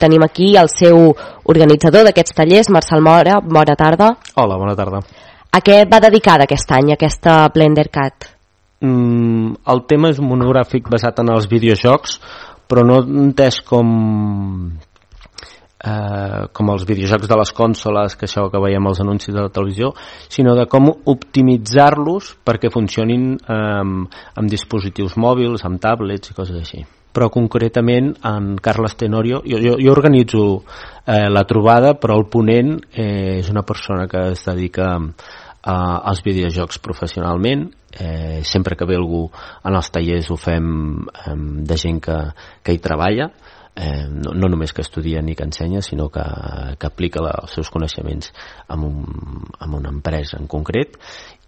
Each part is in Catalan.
tenim aquí el seu organitzador d'aquests tallers, Marçal Mora. Bona tarda. Hola, bona tarda. A què va dedicada aquest any, aquesta BlenderCat? El tema és un monogràfic basat en els videojocs, però no entès com els videojocs de les consoles, que això que veiem als anuncis de la televisió, sinó de com optimitzar-los perquè funcionin amb dispositius mòbils, amb tablets i coses així. Però concretament en Carles Tenorio, jo organitzo la trobada, però el ponent és una persona que es dedica als videojocs professionalment. Sempre que ve algú en els tallers ho fem de gent que hi treballa, no només que estudia ni que ensenya, sinó que aplica els seus coneixements en una empresa en concret,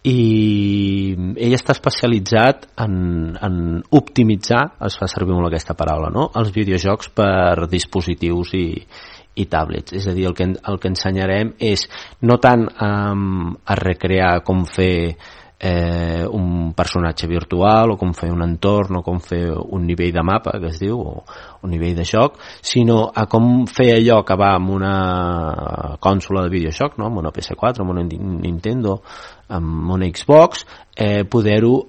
i ell està especialitzat en optimitzar, es fa servir molt aquesta paraula, no?, els videojocs per dispositius i tablets. És a dir, el que ensenyarem és no tant a recrear com fer un personatge virtual o com fer un entorn o com fer un nivell de mapa, que es diu, o un nivell de joc, sinó a com fer allò que va amb una consola de videojoc, no?, amb una PS4, amb una Nintendo, amb una Xbox, poder-ho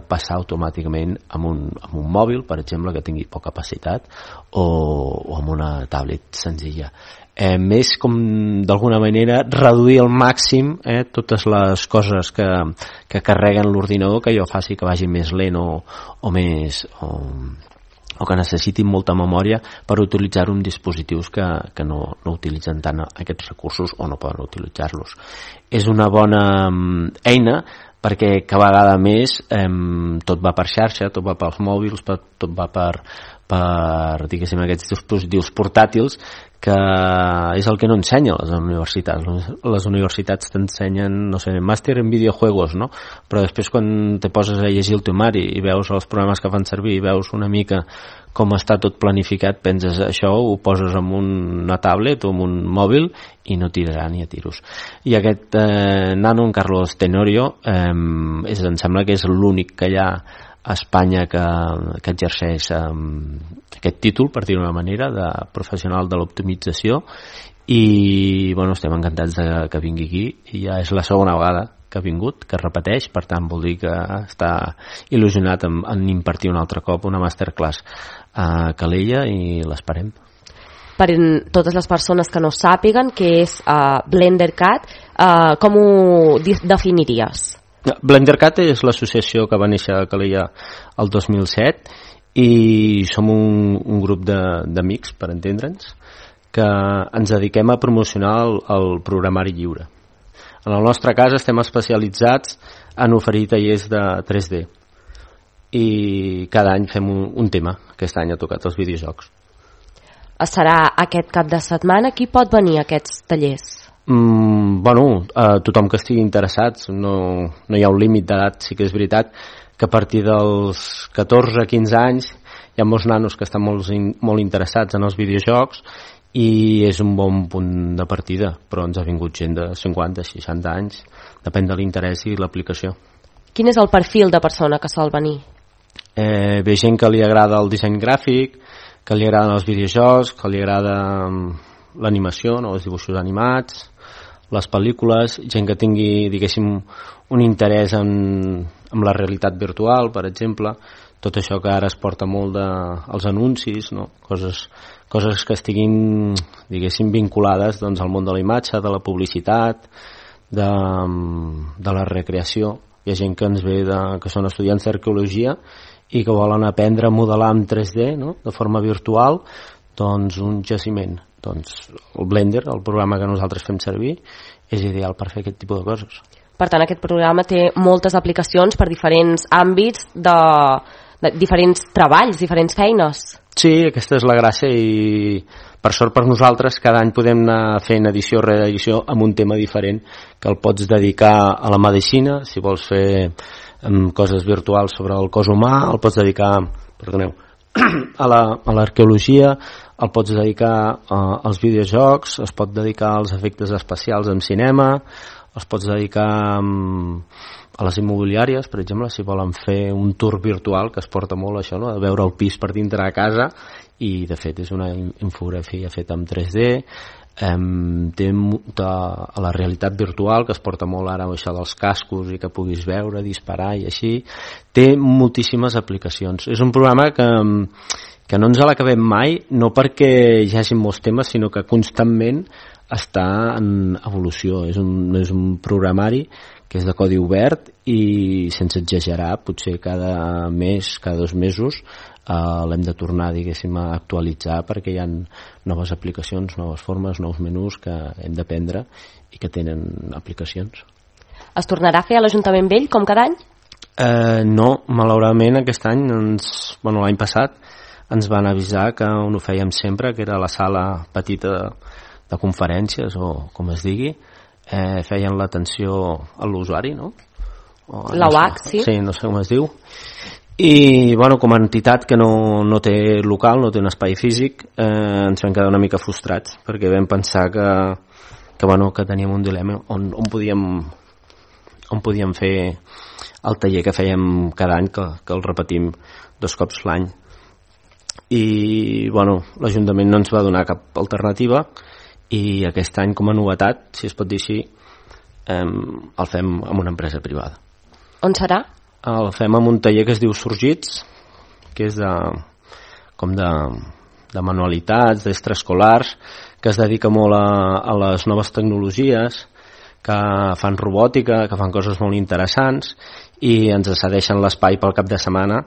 passar automàticament amb un mòbil, per exemple, que tingui poca capacitat, o amb una tablet senzilla. Més com d'alguna manera reduir al màxim totes les coses que carreguen l'ordinador, que jo faci que vagi més lent o que necessitin molta memòria per utilitzar-ho en dispositius que no utilitzen tant aquests recursos o no poden utilitzar-los. És una bona eina perquè cada vegada més tot va per xarxa, tot va pels mòbils, tot va per diguéssim, aquests dispositius portàtils, que és el que no ensenya les universitats. Les universitats t'ensenyen, no sé, màster en videojuegos, no? Però després quan te poses a llegir el temari i veus els programes que fan servir i veus una mica com està tot planificat, penses això ho poses en una tablet o en un mòbil i no tirarà ni a tiros. I aquest nano, en Carlos Tenorio, em sembla que és l'únic que hi ha a Espanya que exerceix aquest títol, per dir-ho d'una manera, de professional de l'optimització, i bueno, estem encantats que vingui aquí, i ja és la segona vegada que ha vingut, que repeteix, per tant vol dir que està il·lusionat en impartir un altre cop una masterclass a Calella, i l'esperem. Per totes les persones que no sàpiguen què és BlenderCat, com ho definiries? BlenderCat és l'associació que va néixer a Calella el 2007 i som un grup d'amics, per entendre'ns, que ens dediquem a promocionar el programari lliure. En el nostre cas estem especialitzats en oferir tallers de 3D i cada any fem un tema. Aquest any ha tocat els videojocs. Serà aquest cap de setmana? Qui pot venir a aquests tallers? Tothom que estigui interessat, no hi ha un límit d'edat. Sí que és veritat que a partir dels 14-15 anys hi ha molts nanos que estan molt interessats en els videojocs i és un bon punt de partida, però ens ha vingut gent de 50-60 anys, depèn de l'interès i l'aplicació. Quin és el perfil de persona que sol venir? Ve gent que li agrada el disseny gràfic, que li agraden els videojocs, que li agrada l'animació, no? Els dibuixos animats, les pel·lícules, gent que tingui, diguéssim, un interès en la realitat virtual, per exemple, tot això que ara es porta molt als anuncis, no? Coses que estiguin, diguéssim, vinculades doncs, al món de la imatge, de la publicitat, de la recreació. Hi ha gent que ens ve que són estudiants d'arqueologia i que volen aprendre a modelar en 3D, no? De forma virtual, doncs un jaciment. Doncs el Blender, el programa que nosaltres fem servir, és ideal per fer aquest tipus de coses. Per tant, aquest programa té moltes aplicacions per diferents àmbits de diferents treballs, diferents feines. Sí, aquesta és la gràcia, i per sort per nosaltres cada any podem anar fent edició rere edició amb un tema diferent, que el pots dedicar a la medicina, si vols fer coses virtuals sobre el cos humà, el pots dedicar, a l'arqueologia, el pots dedicar als videojocs, es pot dedicar als efectes especials en cinema, els pots dedicar a les immobiliàries, per exemple, si volen fer un tour virtual, que es porta molt això, no? De veure el pis per dintre de casa, i de fet és una infografia feta en 3D. Té a la realitat virtual, que es porta molt ara això dels cascos i que puguis veure, disparar i així. Té moltíssimes aplicacions. És un programa que no ens l'acabem mai, no perquè hi hagi molts temes, sinó que constantment està en evolució. És un programari que és de codi obert i, sense exagerar, potser cada mes, cada 2 mesos l'hem de tornar, diguéssim, a actualitzar, perquè hi ha noves aplicacions, noves formes, nous menús que hem d'aprendre i que tenen aplicacions. Es tornarà a fer a l'Ajuntament Vell com cada any? No, malauradament aquest any, l'any passat ens van avisar que on ho fèiem sempre, que era la sala petita de conferències, o com es digui, feien l'atenció a l'usuari, no? La UAC, sí. Sí, no sé com es diu. I, com a entitat que no té local, no té un espai físic, ens vam quedar una mica frustrats, perquè vam pensar que teníem un dilema on podíem fer el taller que fèiem cada any, que el repetim 2 cops l'any. I, l'Ajuntament no ens va donar cap alternativa, i aquest any, com a novetat, si es pot dir així, el fem amb una empresa privada. On serà? El fem amb un taller que es diu Sorgits, que és de manualitats, d'extraescolars, que es dedica molt a les noves tecnologies, que fan robòtica, que fan coses molt interessants, i ens cedeixen l'espai pel cap de setmana,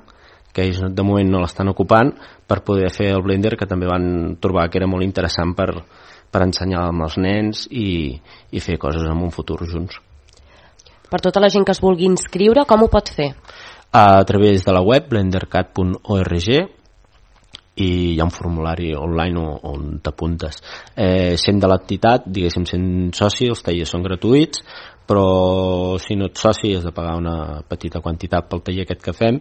que ells de moment no l'estan ocupant, per poder fer el Blender, que també van trobar que era molt interessant per ensenyar amb els nens i fer coses en un futur junts. Per tota la gent que es vulgui inscriure, com ho pot fer? A través de la web blendercat.org, i hi ha un formulari online on t'apuntes. Sent de l'entitat, diguéssim, sent soci, els tallers són gratuïts, però si no ets soci has de pagar una petita quantitat pel taller aquest que fem,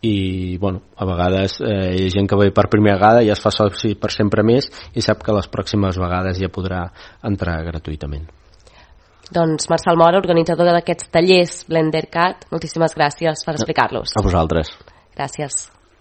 i a vegades hi ha gent que ve per primera vegada i es fa soci per sempre més i sap que les pròximes vegades ja podrà entrar gratuïtament. Doncs Marçal Mora, organitzador d'aquests tallers BlenderCat, moltíssimes gràcies per explicar-los. A vosaltres. Gràcies.